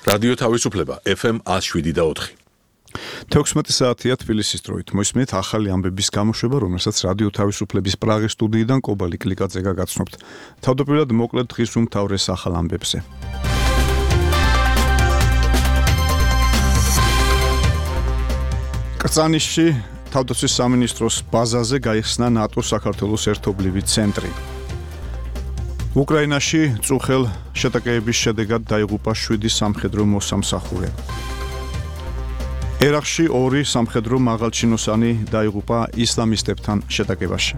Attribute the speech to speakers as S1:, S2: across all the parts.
S1: რადიო თავისუფლება FM 107.4.
S2: 16 საათია თბილისის დროით. მოისმენთ ახალი ამბების გამოშვება, რომელსაც რადიო თავისუფლების პრაღის სტუდიიდან კობალი კლიკაძე გაგაცნობთ. თავდაპირველად მოკლედ დღის უმთავრეს ახალ ამბებზე. კრწანისში თავდაცვის სამინისტროს ბაზაზე გაიხსნა ნატოს საქართველოს ერთობლივი ცენტრი. უკრაინაში წუხელ შეტაკებების შედეგად დაიღუპა 7 სამხედრო მოსამსახურე. ერაყში 2 სამხედრო მაღალჩინოსანი დაიღუპა ისლამისტებთან შეტაკებაში.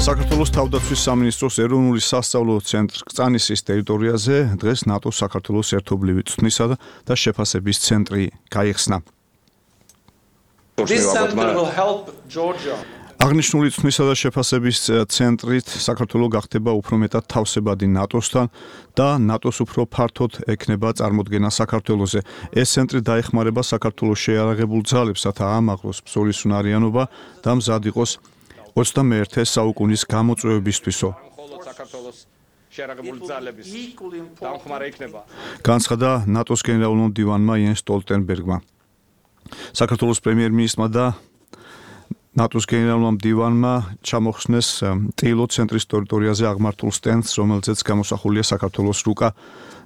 S2: საქართველოს თავდაცვის სამინისტროს ეროვნული სასწავლო ცენტრი კრწანისის ტერიტორიაზე დღეს ნატოს საქართველოს ერთობლივი წვნისა და შეფასების ცენტრი გაიხსნა.
S3: This center will help Georgia.
S2: აღნიშნული წვნისა და შეფასების ცენტრით საქართველო გახდება უფრო მეტად თავსებადი ნატოსთან და ნატოს უფრო ფართოდ ექნება წარმოდგენა საქართველოზე. ეს ცენტრი დაეხმარება საქართველოს შეიარაღებულ ძალებს, რათა აამაღლოს ბრძოლის უნარიანობა და მზად იყოს 21 საუკუნის გამოწვევებისთვისო. განცხადა ნატოს გენერალურმა მდივანმა იენს სტოლტენბერგმა. საქართველოს პრემიერ-მინისტრმა და ნატოს გენერალურმა მდივანმა ჩამოხსნეს ტილო ცენტრის ტერიტორიაზე აღმართულ სტენდს, რომელზეც გამოსახულია საქართველოს რუკა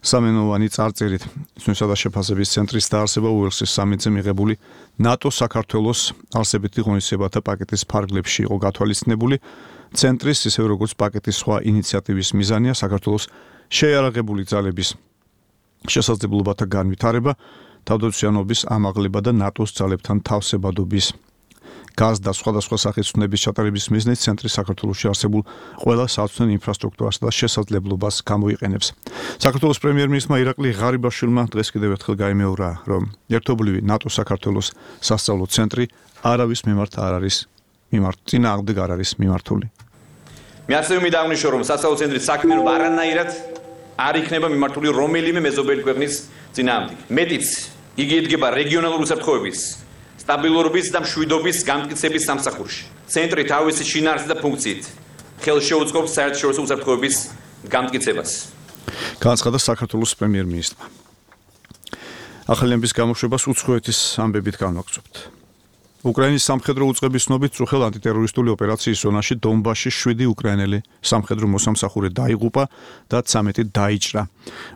S2: სამენოვანი წარწერით. წვნისა და შეფასების ცენტრის დაარსება უელსის სამიტზე მიღებული ნატო-საქართველოს არსებითი ღონისძიებათა პაკეტის ფარგლებში იყო გათვალისწინებული. ცენტრის, ისევე როგორც პაკეტის სხვა ინიციატივის მიზანია საქართველოს შეიარაღებული ძალების შესაძლებლობათა განვითარება, თავდაცვიანობის ამაღლება და ნატოს ძალებთან თავსებადობის გაზ და სხვადასხვა სახის ცნების ჩატარების მიზნით ცენტრი საქართველოში არსებულ ყველა საცნელ ინფრასტრუქტურას და შესაძლებლობას გამოიყენებს. საქართველოს პრემიერ-მინისტრმა ირაკლი ღარიბაშვილმა დღეს კიდევ ერთხელ გაიმეორა, რომ ერთობლივი ნატო-საქართველოს სასწავლო ცენტრი არავის მიმართ არ არის წინააღმდეგ არ არის მიმართული.
S4: მე ასევე მინდა აღნიშნო, რომ სასწავლო ცენტრის საქმიანობა არანაირად არ იქნება მიმართული რომელიმე მეზობელი ქვეყნის წინააღმდეგ. მეტიც, იგი იდგება რეგიონალური უსაფრთხოების სტაბილურობის და მშვიდობის გამტკიცების სამსახურში. ცენტრი თავისი შინაარსით და ფუნქციით ხელს შეუწყობს საერთაშორისო უსაფრთხოების გამტკიცებას.
S2: განცხადა საქართველოს პრემიერ-მინისტრმა. ახალი ამბის გამოშვებას უცხოეთის ამბებით განვაგრძობთ. უკრაინის სამხედრო უწყების ცნობით წუხელ ანტიტერორისტული ოპერაციის ზონაში დონბასში 7 უკრაინელი სამხედრო მოსამსახურე დაიღუპა და 13 დაიჭრა.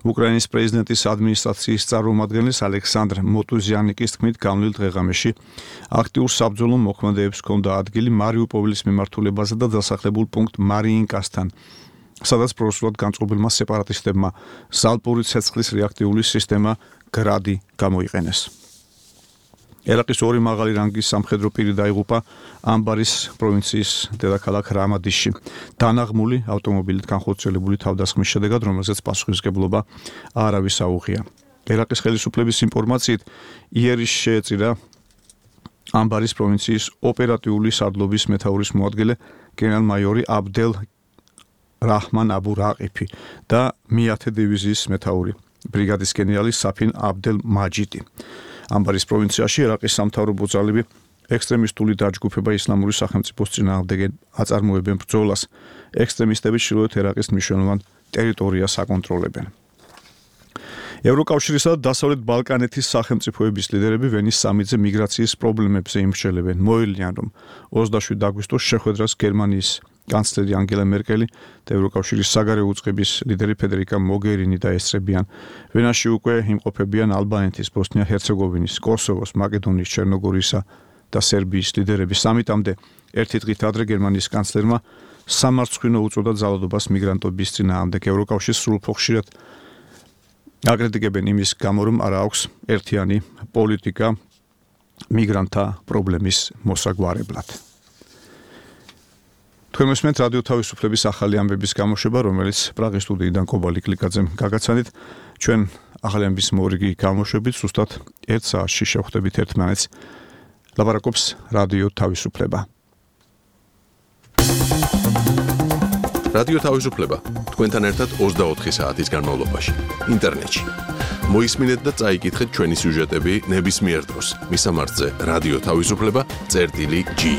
S2: უკრაინის პრეზიდენტის ადმინისტრაციის წარმომადგენლის ალექსანდრ მოტუზიანიკის თქმით, გამლილ დღეღამეში აქტიურ საბრძოლო მოქმედებს ჰქონდა ადგილი მარიუპოლის მიმართულებაზე და დასახლებულ პუნქტ მარიინკასთან, სადაც პროსულად განწყობილმა სეპარატისტებმა ზალპური ცეცხლის რეაქტიული სისტემა გრადი გამოიყენეს. ერაყის 2 მაღალი რანგის სამხედრო პირი დაიღუპა ამბარის პროვინციის დედაქალაქ რამადიშში. დანაღმული ავტომობილით განხორციელებული თავდასხმის შედეგად, რომელზეც პასუხისმგებლობა არავის აუღია. ერაყის ხელისუფლების ინფორმაციით, იერიშ შეეწირა ამბარის პროვინციის ოპერატიული სარდლობის მეთაურის მოადგილე გენერალ-მაიორი აბდელ რაჰმან აბუ რაყიფი და მე-10 დივიზიის მეთაური ბრიგადის გენერალი საფინ აბდელ მაჯიდი. ამბარის პროვინციაში ერაყის სამთავრობო ძალები ექსტრემისტული დაჯგუფება ისლამური სახელმწიფოს წინააღმდეგ აწარმოებენ ბრძოლას. ექსტრემისტები ჩრდილოეთ ერაყის მნიშვნელოვან ტერიტორიას აკონტროლებენ. ევროკავშირისა და დასავლეთ ბალკანეთის სახელმწიფოების ლიდერები ვენის სამიტზე მიგრაციის პრობლემებზე იმსჯელებენ. მოელიან, რომ 27 აგვისტოს შეხვედრას გერმანიის კანცლერი ანგელა მერკელი და ევროკავშირის საგარეო უწყების ლიდერი ფედერიკა მოგერინი დაესწრებიან. ვენაში უკვე იმყოფებიან ალბანეთის, ბოსნია-ჰერცეგოვინის, კოსოვოს, მაკედონიის, ჩერნოგორიისა და სერბიის ლიდერები. სამიტამდე ერთი დღით ადრე გერმანიის კანცლერმა სამარცხვინო უწოდა ძალადობას მიგრანტების წინააღმდეგ. ევროკავშირს სრულფო ხშირად აკრიტიკებენ იმის გამო, რომ არ აქვს ერთიანი პოლიტიკა მიგრანტთა პრობლემის მოსაგვარებლად. თქვენ მოსმენთ რადიო თავისუფლების ახალი ამბების გამოშვება, რომელიც პრაღის სტუდიიდან კობალი კლიკაძემ გაგაცანით. ჩვენ ახალი ამბის მორიგი გამოშვებით ზუსტად 1 საათში შევხვდებით ერთმანეთს. ლაპარაკობს რადიო თავისუფლება.
S1: რადიო თავისუფლება თქვენთან ერთად 24 საათის განმავლობაში ინტერნეტში. მოისმინეთ და წაიკითხეთ ჩვენი სიუჟეტები ნებისმიერ დროს. მისამართზე რადიო თავისუფლება.gi